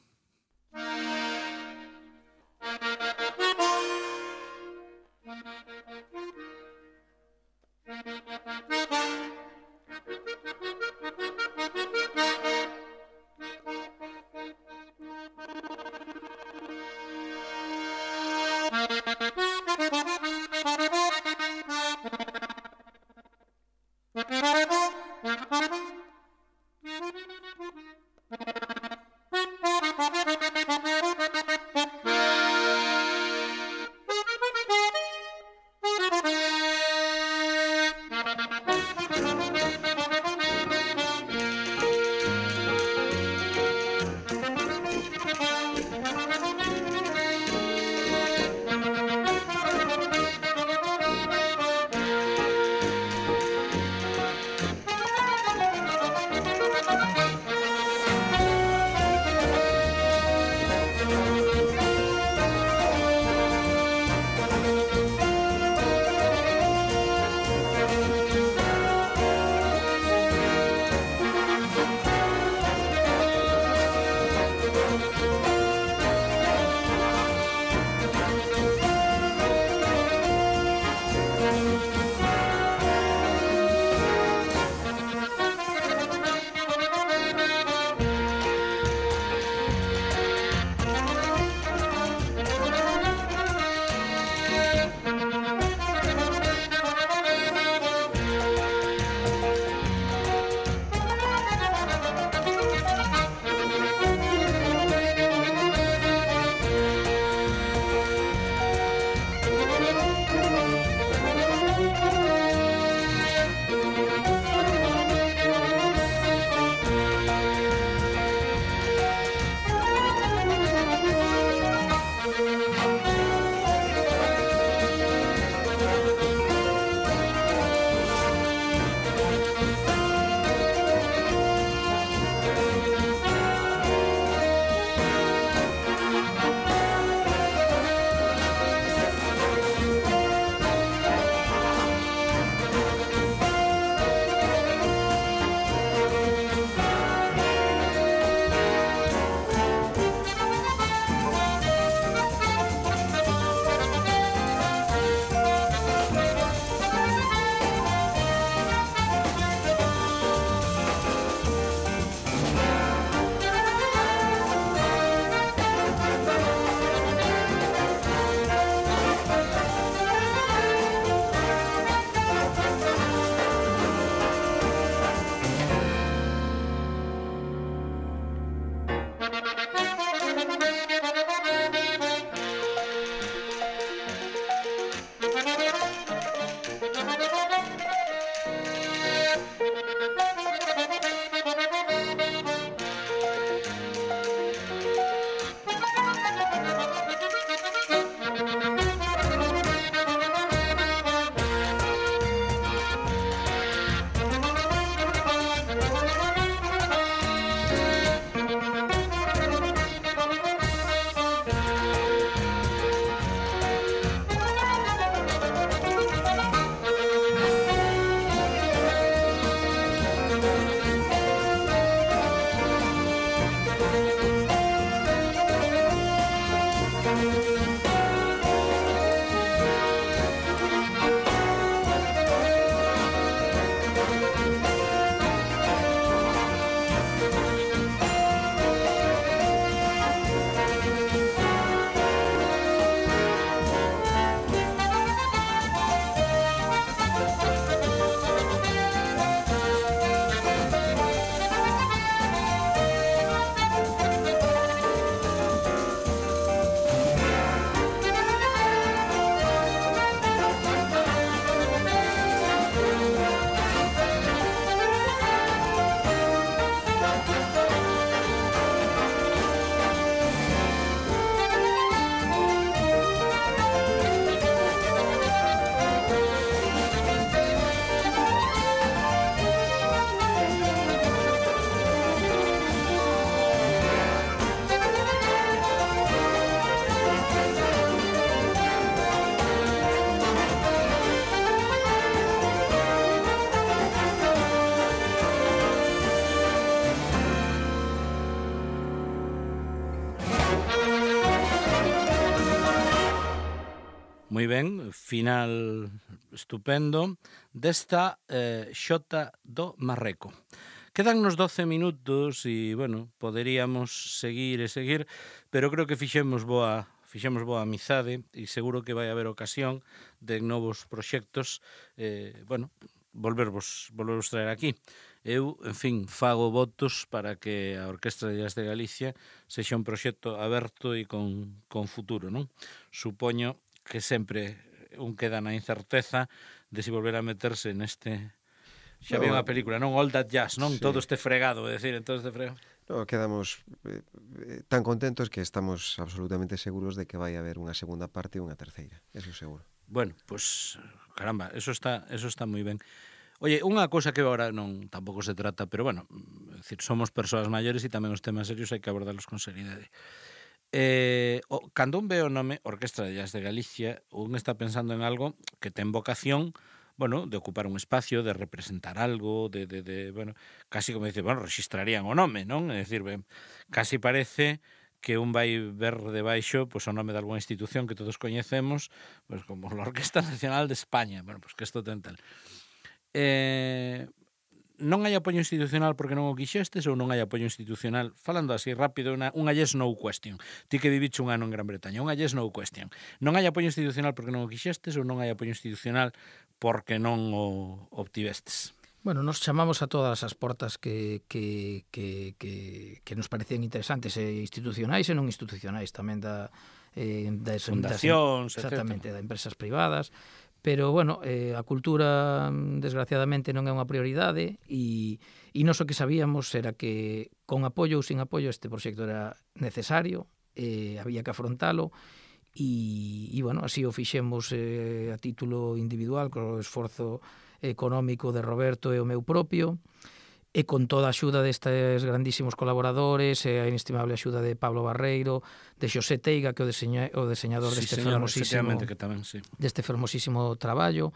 moi ben, final estupendo desta Xota do Marreco. Quedan nos 12 minutos e, bueno, poderíamos seguir e seguir, pero creo que fixemos boa amizade e seguro que vai haber ocasión de novos proxectos, bueno, volvervos traer aquí. Eu, en fin, fago votos para que a Orquestra de Jazz de Galicia sexa un proxecto aberto e con futuro, non? Supoño que sempre un queda na incerteza de si volver a meterse neste... Xa había unha película, non? All That Jazz, non? Sí. Todo este fregado, é dicir, todo este fregado. No, quedamos tan contentos que estamos absolutamente seguros de que vai haber unha segunda parte e unha terceira, eso seguro. Bueno, pues, caramba, eso está moi ben. Oye, unha cousa que agora non tampouco se trata, pero bueno, é dicir, somos persoas maiores e tamén os temas serios hai que abordarlos con seriedade. Cando un ve o nome Orquestra de Jazz de Galicia, un está pensando en algo que ten vocación, bueno, de ocupar un espacio, de representar algo, bueno, casi como dice, bueno, registrarían o nome, non? É dicir, casi parece que un vai ver debaixo pois, o nome de algunha institución que todos coñecemos, pois, como a Orquesta Nacional de España. Bueno, pois que isto ten tal. Non hai apoio institucional porque non o quixestes ou non hai apoio institucional? Falando así rápido, unha yes no question. Ti que viviche un ano en Gran Bretaña, unha yes no question. Non hai apoio institucional porque non o quixestes ou non hai apoio institucional porque non o obtivestes? Bueno, nos chamamos a todas as portas que nos parecían interesantes, institucionais e non institucionais, tamén das fundacións, exactamente, das empresas privadas. Pero, bueno, a cultura, desgraciadamente, non é unha prioridade e nós o que sabíamos era que, con apoio ou sin apoio, este proxecto era necesario, había que afrontalo e bueno, así o fixemos a título individual, co esforzo económico de Roberto e o meu propio, e con toda a axuda destes grandísimos colaboradores e a inestimable axuda de Pablo Barreiro, de Xosé Teiga, que é o diseñador deste fermosísimo traballo.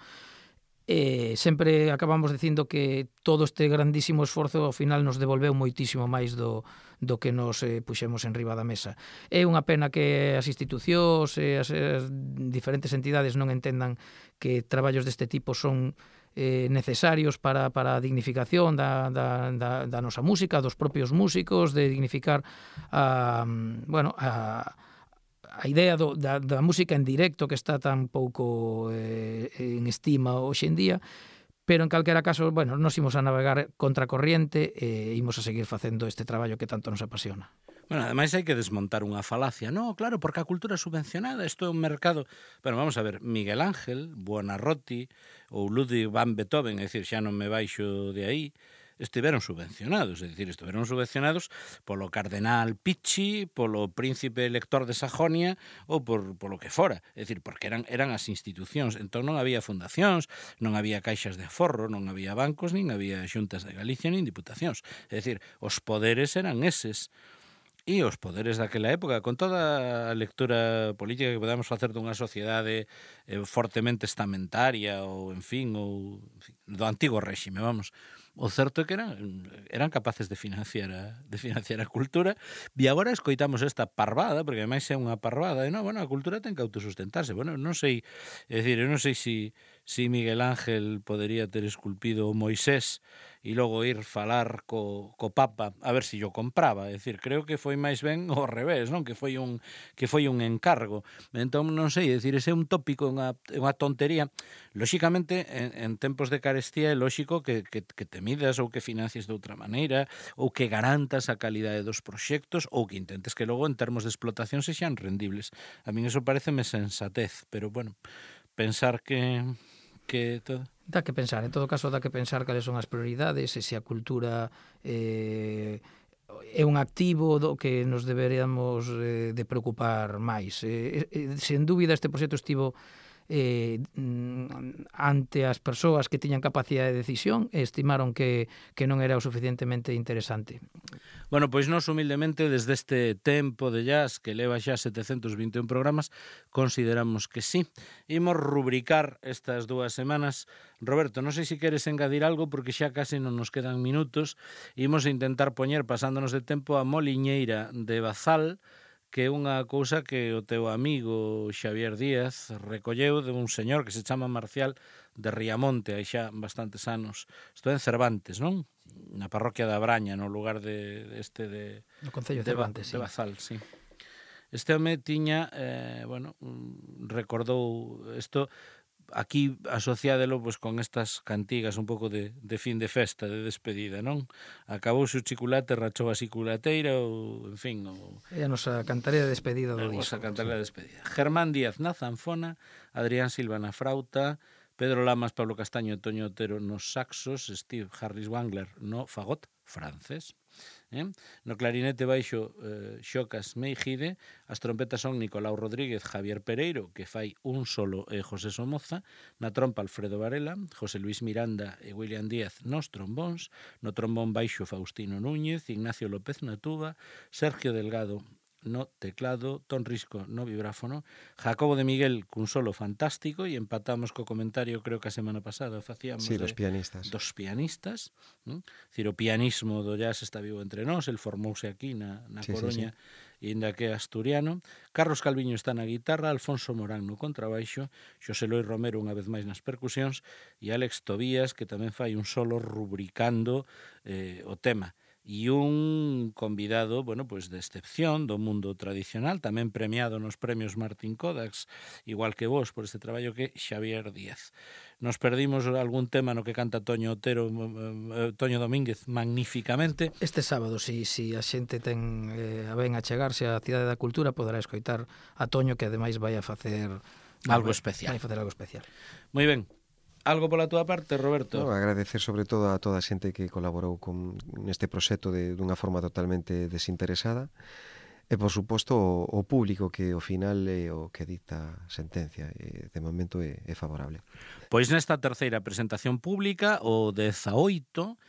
Sempre acabamos dicindo que todo este grandísimo esforzo ao final nos devolveu moitísimo máis do que nos puxemos en riba da mesa. É unha pena que as institucións e as diferentes entidades non entendan que traballos deste tipo son necesarios para a dignificación da nosa música, dos propios músicos, de dignificar a idea da música en directo que está tan pouco en estima hoxe en día, pero en calquera caso, bueno, nos imos a navegar contracorriente e imos a seguir facendo este traballo que tanto nos apasiona. Bueno, ademais hai que desmontar unha falacia. No, claro, porque a cultura subvencionada, isto é un mercado... Bueno, vamos a ver, Miguel Ángel, Buonarroti ou Ludwig van Beethoven, é dicir, xa non me baixo de aí, estiveron subvencionados, é dicir, estiveron subvencionados polo cardenal Picchi, polo príncipe elector de Sajonia ou polo que fora, é dicir, porque eran as institucións, entón non había fundacións, non había caixas de aforro, non había bancos, nin había xuntas de Galicia, nin diputacións, é dicir, os poderes eran eses. E os poderes daquela época, con toda a lectura política que podamos facer dunha sociedade fortemente estamentaria ou, en fin, do antigo réxime, vamos. O certo é que eran capaces de financiar a cultura e agora escoitamos esta parvada, porque ademais é unha parvada, e non, bueno, a cultura ten que autosustentarse. Bueno, non sei, é dicir, eu non sei se Miguel Ángel podería ter esculpido o Moisés e logo ir falar co Papa a ver se yo compraba, é dicir, creo que foi máis ben ao revés, non? Que foi un encargo. Entón, non sei, é dicir, ese é un tópico, unha tontería. Lóxicamente, en tempos de carestía é lóxico que te midas ou que financies de outra maneira ou que garantas a calidade dos proxectos ou que intentes que logo en termos de explotación sexan rendibles. A min eso pareceme sensatez, pero bueno, pensar que todo... Dá que pensar, en todo caso dá que pensar cales son as prioridades e se a cultura é un activo do que nos deberíamos de preocupar máis. Sen dúbida este proxecto estivo ante as persoas que tiñan capacidade de decisión e estimaron que non era o suficientemente interesante. Bueno, pois nós humildemente desde este tempo de jazz que leva xa 721 programas consideramos que sí. Imos rubricar estas 2 semanas. Roberto, non sei se queres engadir algo porque xa case non nos quedan minutos. Imos intentar poñer, pasándonos de tempo, a Moliñeira de Bazal, que é unha cousa que o teu amigo Xavier Díaz recolleu de un señor que se chama Marcial de Riamonte, hai xa bastantes anos. Isto é en Cervantes, non? Na parroquia da Braña, no lugar de No Concello de Cervantes, de Bazal, sí. Este home tiña, recordou isto, aquí asociádelo pues, con estas cantigas un pouco de fin de festa, de despedida, non? Acabouse o chiculate, rachou a xiculateira, ou, en fin... É a nosa cantaría de despedida do disco. A cantaría de despedida. Germán Díaz na zanfona, Adrián Silva na frauta, Pedro Lamas, Pablo Castaño e Toño Otero nos saxos, Steve Harris Wangler no fagot francés. No clarinete baixo Xocas Meijide, as trompetas son Nicolau Rodríguez, Javier Pereiro, que fai un solo e José Somoza, na trompa Alfredo Varela, José Luis Miranda e William Díaz nos trombóns, no trombón baixo Faustino Núñez, Ignacio López na tuba, Sergio Delgado no teclado, Ton Risco no vibráfono, Jacobo de Miguel cun solo fantástico, e empatamos co comentario, creo que a semana pasada facíamos dos pianistas. Dos pianistas, Cir, o pianismo do jazz está vivo entre nós, el formouse aquí na Coruña, e ainda que é asturiano. Carlos Calviño está na guitarra, Alfonso Morán no contrabaixo, Xosé Lois Romero unha vez máis nas percusións, e Alex Tobías, que tamén fai un solo rubricando o tema. E un convidado, pues de excepción do mundo tradicional, tamén premiado nos premios Martín Kodaks, igual que vos por este traballo, que Xavier Díaz. Nos perdimos algún tema no que canta Toño Otero, Toño Domínguez, magníficamente. Este sábado, si a xente ten a ben a chegarse á Cidade da Cultura, poderá escoitar a Toño, que ademais vai a facer algo especial. Vai a facer algo especial. Moi ben. Algo pola túa parte, Roberto? No, agradecer sobre todo a toda a xente que colaborou neste proxecto dunha forma totalmente desinteresada, e por suposto o público que ao final é o que dicta a sentencia, e de momento é favorable. Pois nesta terceira presentación pública, o 18,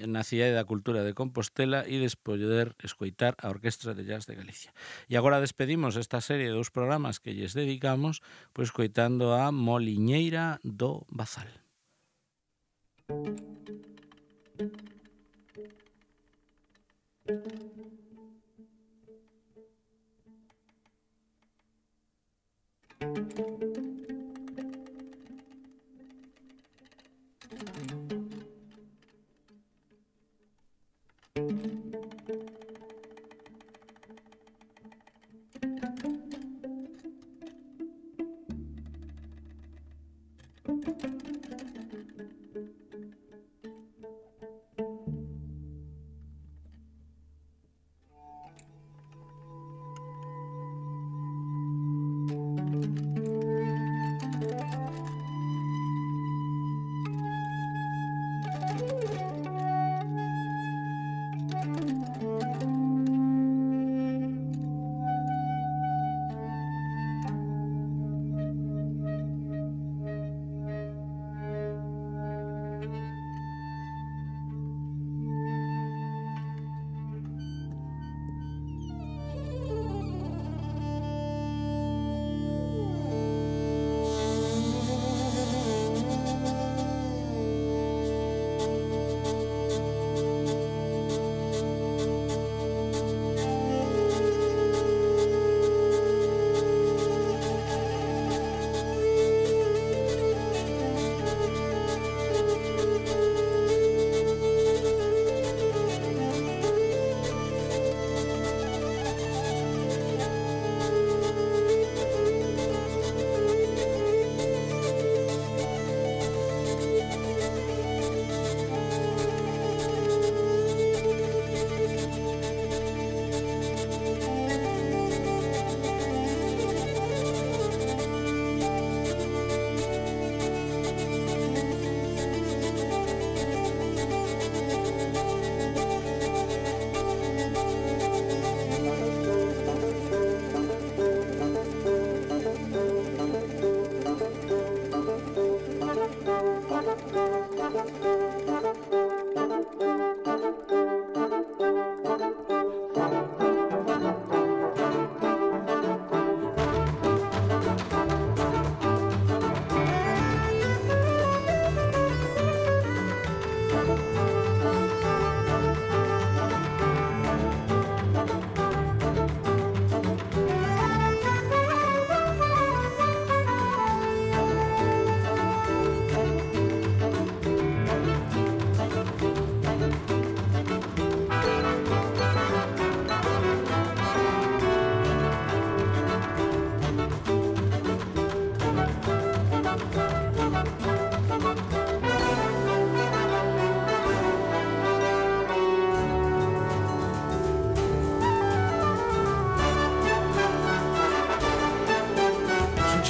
na Cidade da Cultura de Compostela, e poder escoitar a Orquestra de Jazz de Galicia. E agora despedimos esta serie de 2 programas que lles dedicamos, pois escoitando a Moliñeira do Bazal.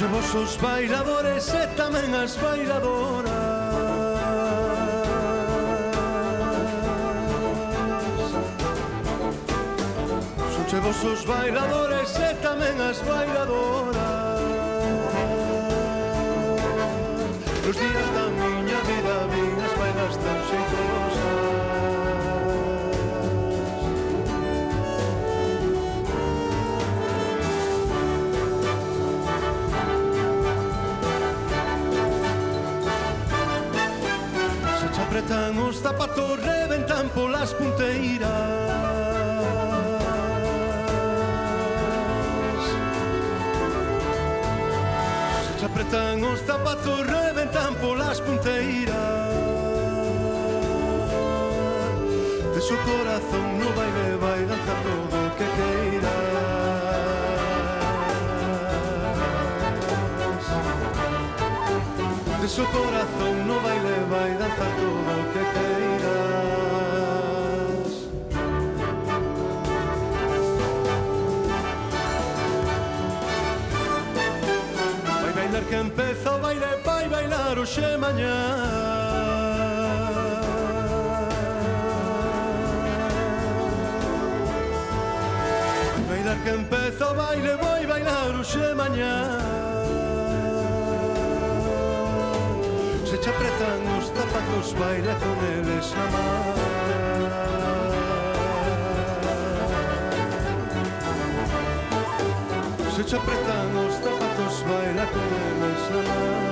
Son vos os bailadores e tamén as bailadoras. Son vos os bailadores e tamén as bailadoras. Os días da miña vida vin as bailas tan xeitosas. Apretan os zapatos, reventan polas punteiras. Se apretan os zapatos, reventan polas punteiras. De su corazón no baile, vai danzar todo o que queiras. De su corazón no baile, vai danzar todo o que queiras. Vai bailar que empeza o baile, vai bailar hoxe e mañá. Vai bailar que empeza o baile, vai bailar hoxe e mañá. Se te apretan os zapatos, baila con eles na man. Se te apretan os zapatos, baila con eles na man.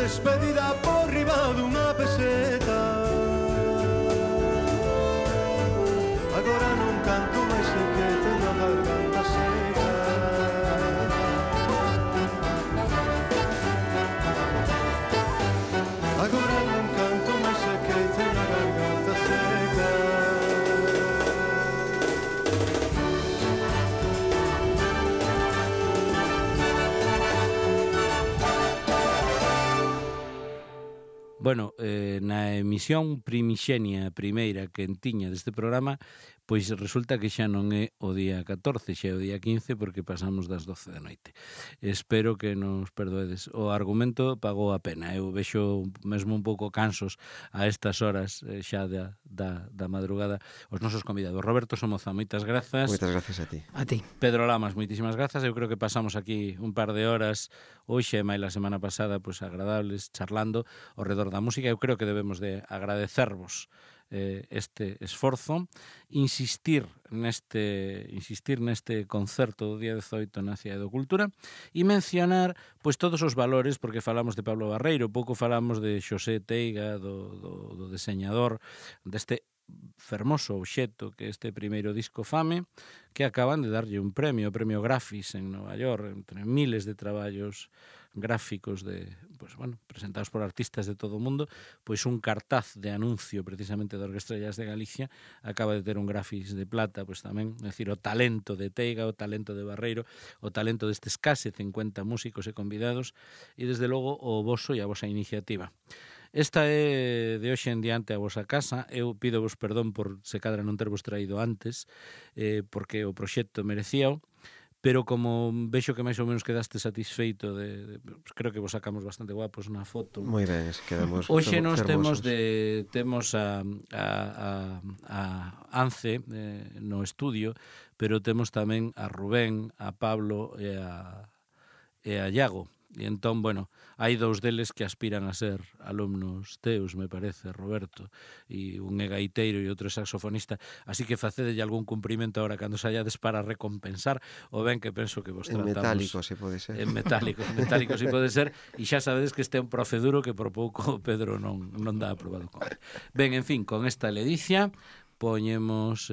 despedida por riba dunha peseta. Agora non canto máis sei que teño a garganta seca. Agora non canto máis sei que teño a garganta seca. Bueno, na emisión primixenia primeira que entiña deste programa, pois resulta que xa non é o día 14, xa é o día 15, porque pasamos das 12 da noite. Espero que nos perdoedes. O argumento pagou a pena. Eu vexo mesmo un pouco cansos a estas horas xa da madrugada os nosos convidados. Roberto Somoza, moitas grazas. Moitas gracias a ti. A ti. Pedro Lamas, moitísimas grazas. Eu creo que pasamos aquí un par de horas hoxe e máis a semana pasada, pois agradables, charlando ao redor da música. Eu creo que debemos de agradecervos este esforzo, insistir neste concerto do día 18 na Cidade da Cultura e mencionar pois todos os valores, porque falamos de Pablo Barreiro, pouco falamos de Xosé Teiga, do deseñador deste fermoso obxecto que este primeiro disco Fame, que acaban de darlle un premio, o premio Grafis en Nova York, entre miles de traballos gráficos presentados por artistas de todo o mundo, pois un cartaz de anuncio precisamente da Orquestra de Jazz de Galicia acaba de ter un Grafis de plata, pois tamén, é dicir, o talento de Teiga, o talento de Barreiro, o talento destes case 50 músicos e convidados e desde logo o voso e a vosa iniciativa. Esta é de hoxe en diante a vosa casa. Eu pido-vos perdón por se cadra non tervos traído antes, porque o proxecto merecíao, pero como vexo que máis ou menos quedaste satisfeito creo que vos sacamos bastante guapos na foto. Moi ben, quedamos hoxe nos fermosos. temos a Ance no estudio, pero temos tamén a Rubén, a Pablo e a Iago. E entón, bueno, hai dous deles que aspiran a ser alumnos teus, me parece, Roberto, e un é gaiteiro e outro é saxofonista, así que facedelle algún cumprimento agora cando saíades para recompensar o ben que penso que vos tratamos. En metálico, se pode ser. En metálico, se pode ser, e xa sabedes que este é un proceduro que por pouco Pedro non dá aprobado con ele. Ben, en fin, con esta ledicia poñemos,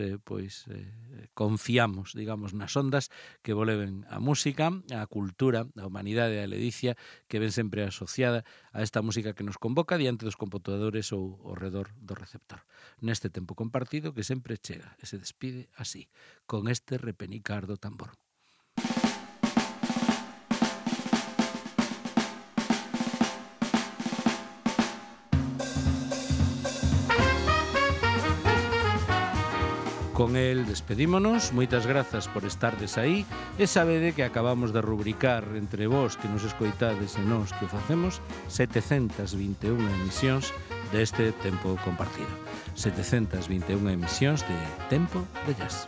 confiamos, digamos, nas ondas que voleven a música, a cultura, a humanidade e a ledicia que ven sempre asociada a esta música que nos convoca diante dos computadores ou ao redor do receptor. Neste tempo compartido que sempre chega e se despide así, con este repenicar do tambor. Con el despedímonos, moitas grazas por estardes aí e sabede que acabamos de rubricar entre vós que nos escoitades e nós que o facemos 721 emisións deste tempo compartido. 721 emisións de Tempo de Jazz.